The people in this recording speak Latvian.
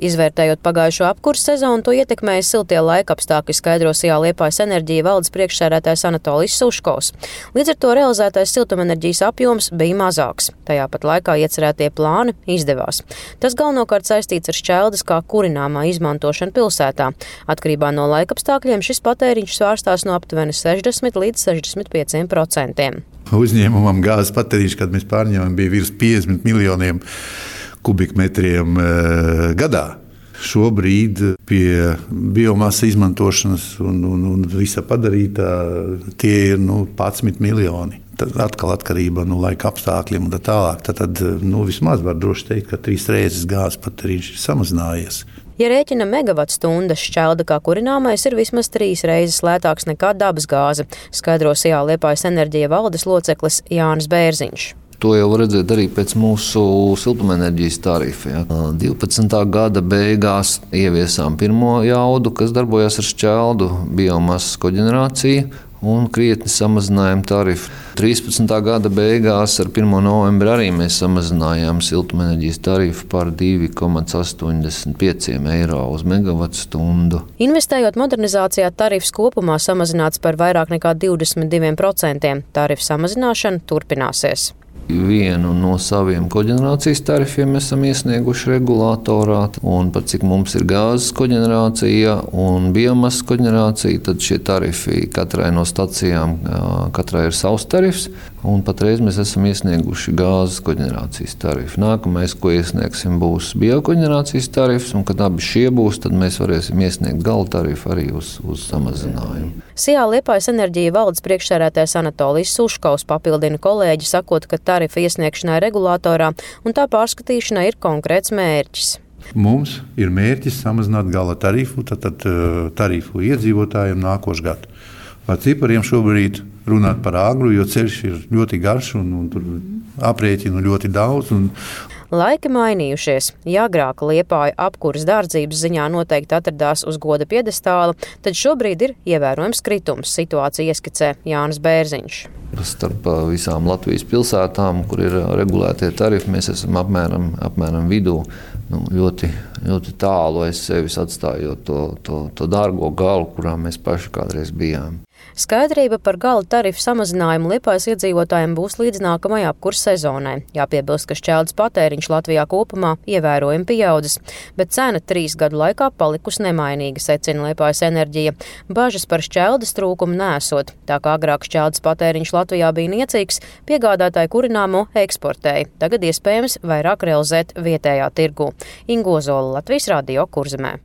Izvērtējot pagājušo apkurses sezonu, to ietekmēja siltie laikapstākļi, skaidro Sijā Liepājas enerģija valdes priekšsēdētājs Anatolijs Suškovs. Līdz ar to realizētais siltumenerģijas apjoms bija mazāks. Tajā pat laikā iecerētie plāni izdevās. Tas galvenokārt saistīts ar šķeldes kā kurināmā izmantošanu pilsētā. Atkarībā no laikapstākļiem šis patēriņš svārstās no aptuveni 60 līdz 65%. Uzņēmumam gāzes patēriņš, kad mēs pārņēmām, bija virs 50 miljoniem kubikmetriem gadā. Šobrīd pie biomasa izmantošanas un visa padarītā tie ir 11 miljoni. Tad atkal atkarība no laika apstākļiem un tā tālāk. Tad vismaz var droši teikt, ka 3 reizes gāzes patēriņš ir samazinājies. Ja rēķina megavatstundas, šķelda kā kurināmais ir vismaz 3 reizes lētāks nekā dabas gāze, skaidro Sijā Liepājas enerģija valdes loceklis Jānis Bērziņš. To jau var redzēt arī pēc mūsu siltumenerģijas tarifa. 12. gada beigās ieviesām pirmo jaudu, kas darbojās ar šķeldu, biomasas koģenerāciju un krietni samazinājām tarifu. 13. gada beigās ar 1. novembri arī mēs samazinājām siltumenerģijas tarifu par 2,85 eiro uz megavatstundu. Investējot modernizācijā, tarifs kopumā samazināts par vairāk nekā 22%. Tarifu samazināšana turpināsies. Vienu no saviem koģenerācijas tarifiem esam iesnieguši regulātorā, un par cik mums ir gāzes koģenerācija un biomasas koģenerācija, tad šie tarifi katrai no stacijām, katrai ir savs tarifs, un patreiz mēs esam iesnieguši gāzes koģenerācijas tarifu. Nākamais, ko iesniegsim, būs biokoģenerācijas tarifs, un kad abi šie būs, tad mēs varēsim iesniegt gala tarifu arī uz samazinājumu. Sijā Liepājas enerģija valdes priekšsēdētājs Anatolijs Suškovs papildina kolēģi, sakot, ka tarifa iesniegšanai regulātorā un tā pārskatīšanai ir konkrēts mērķis. Mums ir mērķis samazināt gala tarifu, tad tarifu iedzīvotājiem nākošu gadu. Par cipariem šobrīd runāt par āgru, jo ceļš ir ļoti garš un tur aprēķinu ļoti daudz. Laiki mainījušies. Ja agrāk Liepāja apkuras dārdzības ziņā noteikti atradās uz goda piedestāla, tad šobrīd ir ievērojams kritums, situāciju ieskicē Jānis Bērziņš. Starp visām Latvijas pilsētām, kur ir regulētie tarifi, mēs esam apmēram vidū. Ļoti, ļoti tālu aiz sevis atstājot to dārgo galu, kurā mēs paši kādreiz bijām. Skaidrība par gala tarifu samazinājumu Liepājas iedzīvotājiem būs līdz nākamajai apkurses sezonai. Jāpiebilst, ka šķeldes patēriņš Latvijā kopumā ievērojami pieaudzis, bet cena 3 gadu laikā palikusi nemainīga, secina Liepājas enerģija. Bažas par šķeldes trūkumu nesot. Tā kā agrāk šķeldes patēriņš Latvijā bija niecīgs, piegādātāji kurināmo eksportēja. Tagad iespējams vairāk realizēt vietējā tirgū. Inga Ozola, Latvijas radio Kurzemē.